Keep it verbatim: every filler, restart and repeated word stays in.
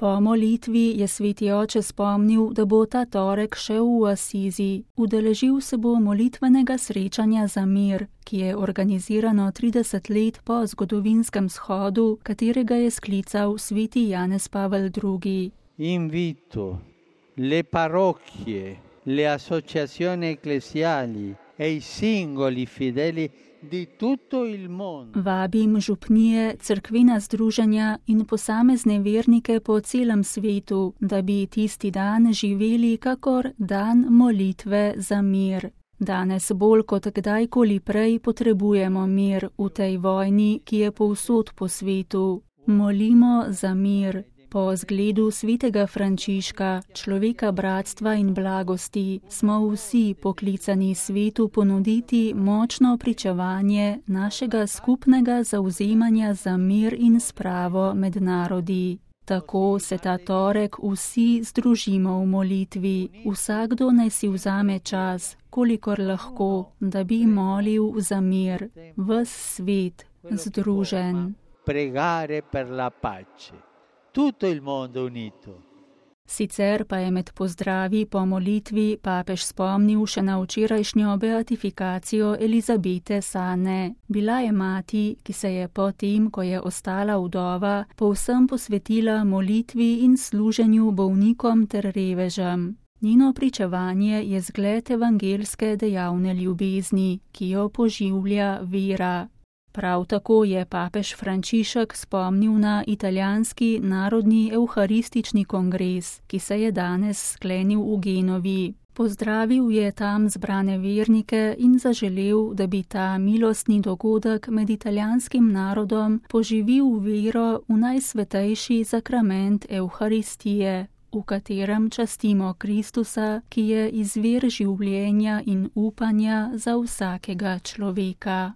Po molitvi je sveti oče spomnil, da bo ta torek šel v Asizi. Udeležil se bo molitvenega srečanja za mir, ki je organizirano trideset let po zgodovinskem shodu, katerega je sklical sveti Janez Pavel drugi. Invito le parrocchie, le associazioni ecclesiali e i singoli fedeli di tutto il mondo. Vabim župnije, cerkvena združenja in posamezne vernike po celem svetu, da bi tisti dan živeli kakor dan molitve za mir. Danes bolj kot kdajkoli prej potrebujemo mir v tej vojni, ki je povsod po svetu. Molimo za mir. Po zgledu svetega Frančiška, človeka bratstva in blagosti, smo vsi poklicani svetu ponuditi močno pričevanje našega skupnega zavzemanja za mir in spravo med narodi. Tako se ta torek vsi združimo v molitvi. Vsakdo naj si vzame čas, kolikor lahko, da bi molil za mir, ves svet združen. Pregare per la pace. Tutto il mondo unito. Sicer pa je med pozdravi po molitvi papež spomnil še na včerajšnjo beatifikacijo Elizabete Sane. Bila je mati, ki se je po tem, ko je ostala vdova, povsem posvetila molitvi in služenju bolnikom ter revežem. Njeno pričevanje je zgled evangelske dejavne ljubezni, ki jo poživlja vera. Prav tako je papež Frančišek spomnil na italijanski narodni evharistični kongres, ki se je danes sklenil v Genovi. Pozdravil je tam zbrane vernike in zaželel, da bi ta milostni dogodek med italijanskim narodom poživil vero v najsvetejši sakrament evharistije, v katerem častimo Kristusa, ki je izvir življenja in upanja za vsakega človeka.